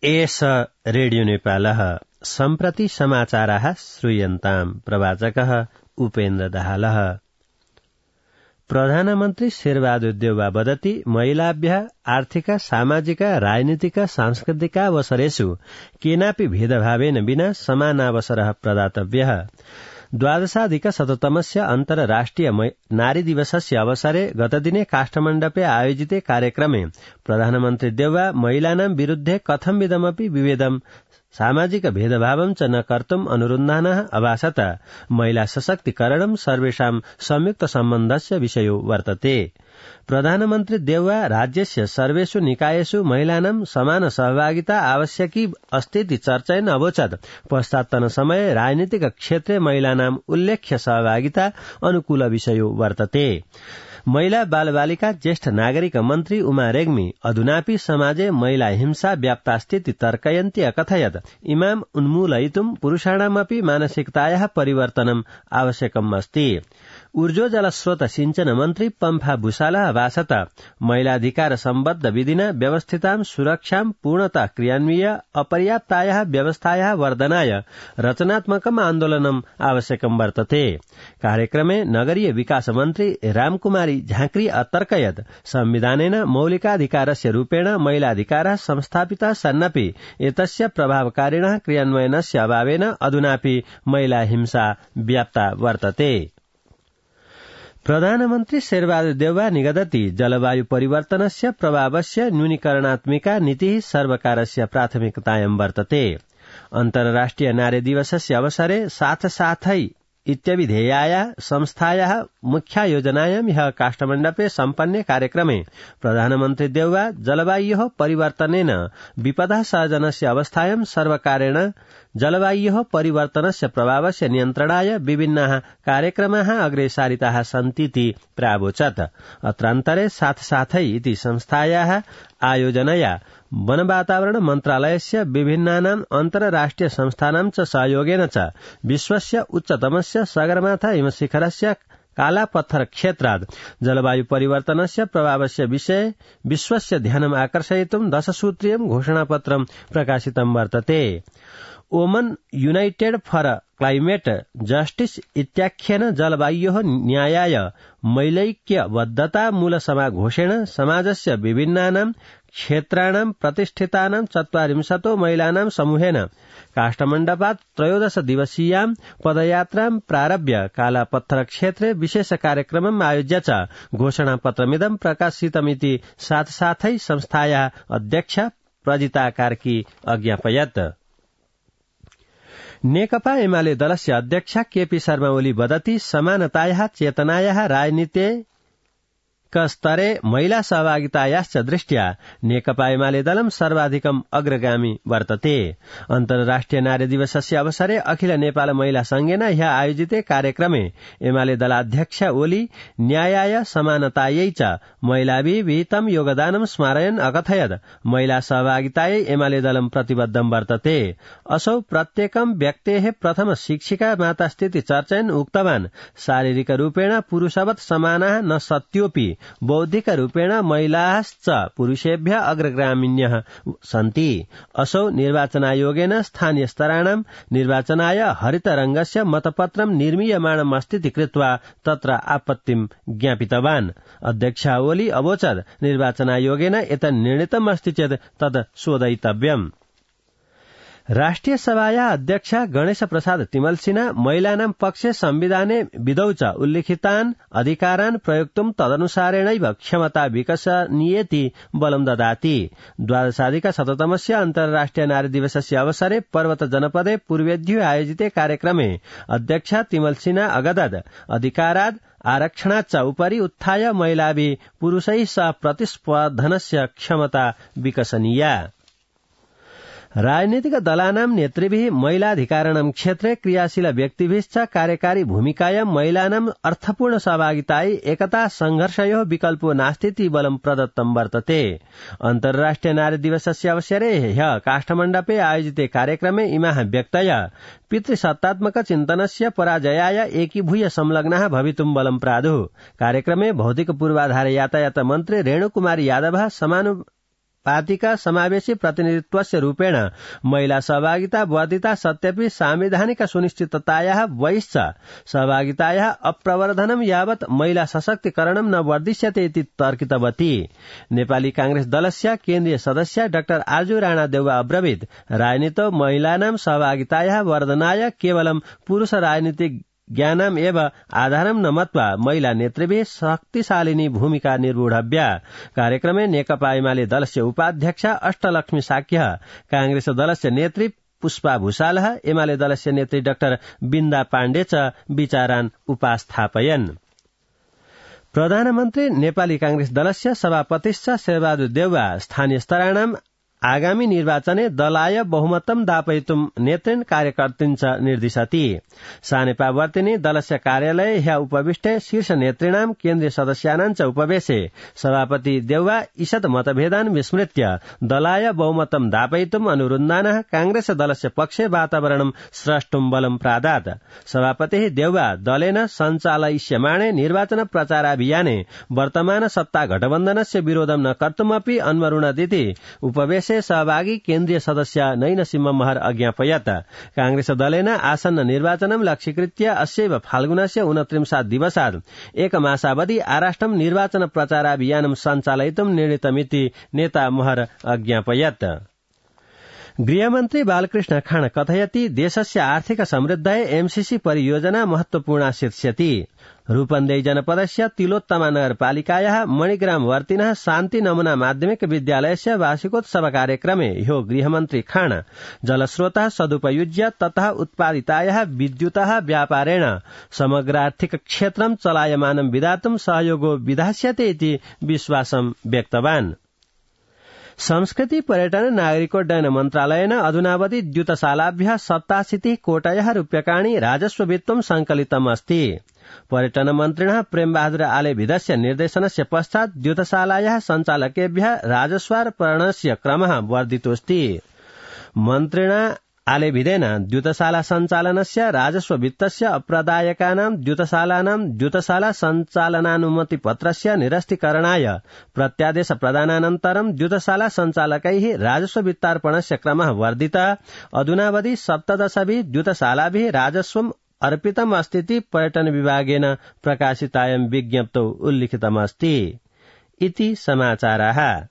एष रेडियो नेपालः सम्प्रति समाचाराः श्रूयन्ताम्। प्रवाचकः उपेन्द्र दाहालः। प्रधानमन्त्री शेरबहादुर देउवा वदति महिलाभ्यः आर्थिक सामाजिक राजनीतिक सांस्कृतिक अवसरेषु केनापि भेदभावेन विना समानावसरः प्रदातव्यः। द्वादशाधिकशततमस्य अन्तर्राष्ट्रिय नारी दिवसस्य अवसरे गतदिने काष्ठमण्डपे आयोजिते कार्यक्रमे प्रधानमन्त्री देउवा महिलानां विरुद्धे कथंविधमपि विभेदं सामाजिक भेदभावं च न कर्तुम् अनुरुन्धानः अभाषत। महिला सशक्तिकरणं सर्वेषां संयुक्त सम्बन्धस्य विषयो वर्तते। प्रधानमन्त्री देउवा राज्यस्य सर्वेषु निकायेषु महिलानां समान सहभागिता आवश्यकी अस्तीति चर्चयन् अवोचत्। पश्चात्तन समये राजनीतिक क्षेत्रे महिलानां उल्लेख्य सहभागिता अनुकूल विषयो वर्तते। महिला बालबालिका ज्येष्ठ नागरिक मन्त्री उमा रेग्मी अधुनापि समाजे महिला हिंसा व्याप्तास्तीति तर्कयन्ती अकथयत्। इमां उन्मूलयितुं पुरुषाणामपि मानसिकतायाः परिवर्तनम् आवश्यकम् अस्ति। ऊर्जो जलस्रोत सिंचन मन्त्री पम्फा भूषालः अभाषत। महिलाधिकार सम्बद्ध विधिना व्यवस्थितां सुरक्षां पूर्णतः क्रियान्वय्य अपर्याप्तायाः व्यवस्थायाः वर्धनाय रचनात्मकम् आन्दोलनम् आवश्यकम् वर्तते। कार्यक्रमे नगरीय विकास मन्त्री रामकुमारी झाँक्री अतर्कयत्। संविधानेन मौलिकाधिकारस्य रूपेण महिलाधिकारः संस्थापितः सन्नपि एतस्य प्रभावकारिणः क्रियान्वयनस्य अभावेन अधुनापि महिला हिंसा व्याप्ता वर्तते। प्रधानमन्त्री शेरबहादुर देउवा निगदति जलवायु परिवर्तनस्य प्रभावस्य न्यूनीकरणात्मिका नीतिः सर्वकारस्य प्राथमिकतायां वर्तते। अन्तर्राष्ट्रिय नारी दिवसस्य अवसरे साथै इत्यभिधेयाया संस्थायाः मुख्या योजनायां ह्यः काष्ठमण्डपे सम्पन्ने कार्यक्रमे प्रधानमन्त्री देउवा जलवायोः परिवर्तनेन विपदः सर्जनस्य अवस्थायां सर्वकारेण जलवायोः परिवर्तनस्य प्रभावस्य नियन्त्रणाय विभिन्नाः कार्यक्रमाः अग्रे सारिताः सन्तीति प्रावोचत्। अत्रान्तरे साथै इति संस्थायाः आयोजनया वन वातावरण मन्त्रालयस्य विभिन्नानां अन्तर्राष्ट्रिय संस्थानां च सहयोगेन च विश्वस्य उच्चतमस्य सगरमाथा हिमशिखरस्य कालापत्थर क्षेत्रात् जलवायु परिवर्तनस्य प्रभावस्य विषये विश्वस्य ध्यानम् आकर्षयितुं 10 सूत्रीयं घोषणापत्रं प्रकाशितं वर्तते। ओमन यूनाइटेड फर क्लाइमेट जस्टिस इत्याख्येन जलवायोः न्यायाय मैलैक्यबद्धता मूलसमाघोषेण समाजस्य विभिन्नानां क्षेत्राणां प्रतिष्ठितानां 40 महिलानां समूहेन काष्ठमण्डपात् 13 दिवसीयां पदयात्रां प्रारभ्य कालापत्थर क्षेत्रे विशेष कार्यक्रमम् आयोज्य च घोषणापत्रमिदं प्रकाशितमिति साथै संस्थायाः अध्यक्षा प्रजिता कार्की अज्ञापयत्। नेकपा एमाले दलस्य अध्यक्षा केपी शर्मा ओली वदति समानतायाः चेतनायाः राजनीतिक स्तरे महिला सहभागितायाश्च दृष्ट्या नेकपा एमाले दलं सर्वाधिकम् अग्रगामी वर्तते। अन्तर्राष्ट्रिय नारी दिवसस्य अवसरे अखिल नेपाल महिला संघेन ह्यः आयोजिते कार्यक्रमे एमाले दलाध्यक्षा ओली न्यायाय समानतायै च महिलाभिः विहितं योगदानं स्मारयन् अकथयत्। महिला सहभागितायै एमाले दलं प्रतिबद्धं वर्तते। असौ प्रत्येकं व्यक्तेः प्रथम शिक्षिका मातास्थिति चर्चयन् उक्तवान् शारीरिक रूपेण पुरुषवत् समानाः न सत्योऽपि बौद्धिक रूपेण महिलाश्च पुरुषेभ्यः अग्रगामिन्यः सन्ति। असौ निर्वाचनायोगेन स्थानीय स्तराणां निर्वाचनाय हरितरङ्गस्य मतपत्रं निर्मीयमाणम् अस्तीति कृत्वा तत्र आपत्तिं ज्ञापितवान्। अध्यक्षा ओली अवोचत् निर्वाचनायोगेन एतन्निर्णीतम् अस्ति चेत् तद् शोधयितव्यम्। राष्ट्रिय सभाया अध्यक्ष गणेश प्रसाद तिमलसिना महिलानां पक्षे संविधाने विधौ च उल्लिखितान् अधिकारान् प्रयोक्तुं तदनुसारेणैव क्षमता विकसनीयेति बलं ददाति। 12अधिकशततमस्य अन्तर्राष्ट्रिय नारी दिवसस्य अवसरे पर्वत जनपदे पूर्वेद्युः आयोजिते कार्यक्रमे अध्यक्ष तिमलसिना अगदत् अधिकारात् आरक्षणाच्च उपरि उत्थाय महिलाभिः पुरुषैः सह प्रतिस्पर्धनस्य क्षमता विकसनीया। राजनीतिक दलानां नेतृभिः महिलाधिकारणं क्षेत्रे क्रियाशील व्यक्तिभिश्च कार्यकारी भूमिकायां महिलानां अर्थपूर्ण सहभागितायै एकता संघर्षयोः विकल्पो नास्तीति बलं प्रदत्तं वर्तते। अन्तर्राष्ट्रिय नारी दिवसस्य अवसरे ह्यः काष्ठमण्डपे आयोजिते कार्यक्रमे इमाः व्यक्तयः पितृसत्तात्मक चिन्तनस्य पराजयाय एकीभूय संलग्नाः भवितुं बलं प्रादुः। कार्यक्रमे भौतिक पूर्वाधार यातायात मन्त्री रेणुकुमारी यादवः पार्टीका समावेशी प्रतिनिधित्वस्य रूपेण महिला सहभागिता वर्धिता सत्यपि सांविधानिक सुनिश्चिततायाः बहिश्च सहभागितायाः अप्रवर्धनं यावत् महिला सशक्तिकरणं न वर्धिष्यते इति तर्कितवती। नेपाली कांग्रेस दलस्य केन्द्रीय सदस्य डाक्टर आजु राणा देउवा अब्रवीत राजनीतो महिलानां सहभागितायाः वर्धनाय केवलं पुरुष राजनीतिक ज्ञानम एव आधारम न मत्वा महिला नेतृभिः शक्तिशालिनी भूमिका निर्वोढव्या। कार्यक्रमे नेकपा एमाले दलस्य उपाध्यक्षा अष्टलक्ष्मी साक्यः, कांग्रेस दलस्य नेत्री पुष्पा भूषालः, एमाले दलस्य नेत्री डाक्टर बिन्दा पाण्डे च विचारान् उपास्थापयन्। प्रधानमन्त्री नेपाली कांग्रेस दलस्य सभापतिश्च शेरबहादुर देउवा स्थानीय स्तराणाम् आगामी निर्वाचने दलाय बहुमतं दापयितुं नेतृन् कार्यकर्तृन् निर्दिशति। सानेपावर्तिनी दलस्य कार्यालये ह्य उपविष्टे शीर्ष नेतृणां केन्द्रीय सदस्यानां च उपवेशे सभापति देउवा ईषत् मतभेदान् विस्मृत्य दलाय बहुमतं दापयितुं अनुरुन्धानः कांग्रेस दलस्य पक्षे वातावरणं स्रष्टुं बलं प्रादात्। सभापतिः देउवा दलेन सञ्चालयिष्यमाणे निर्वाचन प्रचाराभियाने वर्तमान सत्ता गठबन्धनस्य विरोधं न कर्तुमपि अन्वरुणदिति उपवेशे सहभागी केन्द्रीय सदस्य नैनसिंह महर अज्ञापयत्। कांग्रेस दलेन आसन्न निर्वाचनं लक्ष्यीकृत्य अस्यैव फाल्गुनस्य 29 दिवसात् एकमासावधि आराष्ट्रं निर्वाचन प्रचाराभियानं सञ्चालयितुं निर्णीतमिति नेता महर अज्ञापयत्। गृहमन्त्री बालकृष्ण खाँड कथयति देशस्य आर्थिक समृद्धाय एमसीसी परियोजना महत्वपूर्णा शीर्ष्यति। रूपन्देही जनपदस्य तिलोत्तमा नगरपालिकायाः मणिग्राम वर्तिनः शान्ति नमूना माध्यमिक विद्यालयस्य वार्षिकोत्सव कार्यक्रमे ह्यो गृहमन्त्री खाँड जलस्रोतः सदुपयुज्य ततः उत्पादितायाः विद्युतः व्यापारेण समग्रार्थिक क्षेत्रं चलायमानं विधातुं सहयोगो विधास्यते इति विश्वासं व्यक्तवान्। संस्कृति पर्यटन नागरिकोड्डयन मन्त्रालयेन अधुनावधि द्युतशालाभ्यः 87 कोटयः रूप्यकाणि राजस्ववित्तं संकलितम् अस्ति। पर्यटन मन्त्रिणः प्रेमबहादुर आलेभिदस्य निर्देशनस्य पश्चात् द्युतशालायाः सञ्चालकेभ्यः राजस्वार्पणस्य क्रमः वर्धितोऽस्ति। मन्त्रिणा आलेभिदेन द्युतशाला सञ्चालनस्य राजस्व वित्तस्य अप्रदायकानां द्युतशालानां द्युतशाला सञ्चालनानुमति पत्रस्य निरस्तीकरणाय प्रत्यादेश प्रदानानन्तरं द्युतशाला सञ्चालकैः राजस्व वित्तार्पणस्य क्रमः वर्धितः। अधुनावधि 17 द्युतशालाभिः राजस्वम् अर्पितम् अस्तीति पर्यटन विभागेन प्रकाशितायां विज्ञप्तौ उल्लिखितमस्ति। इति समाचाराः।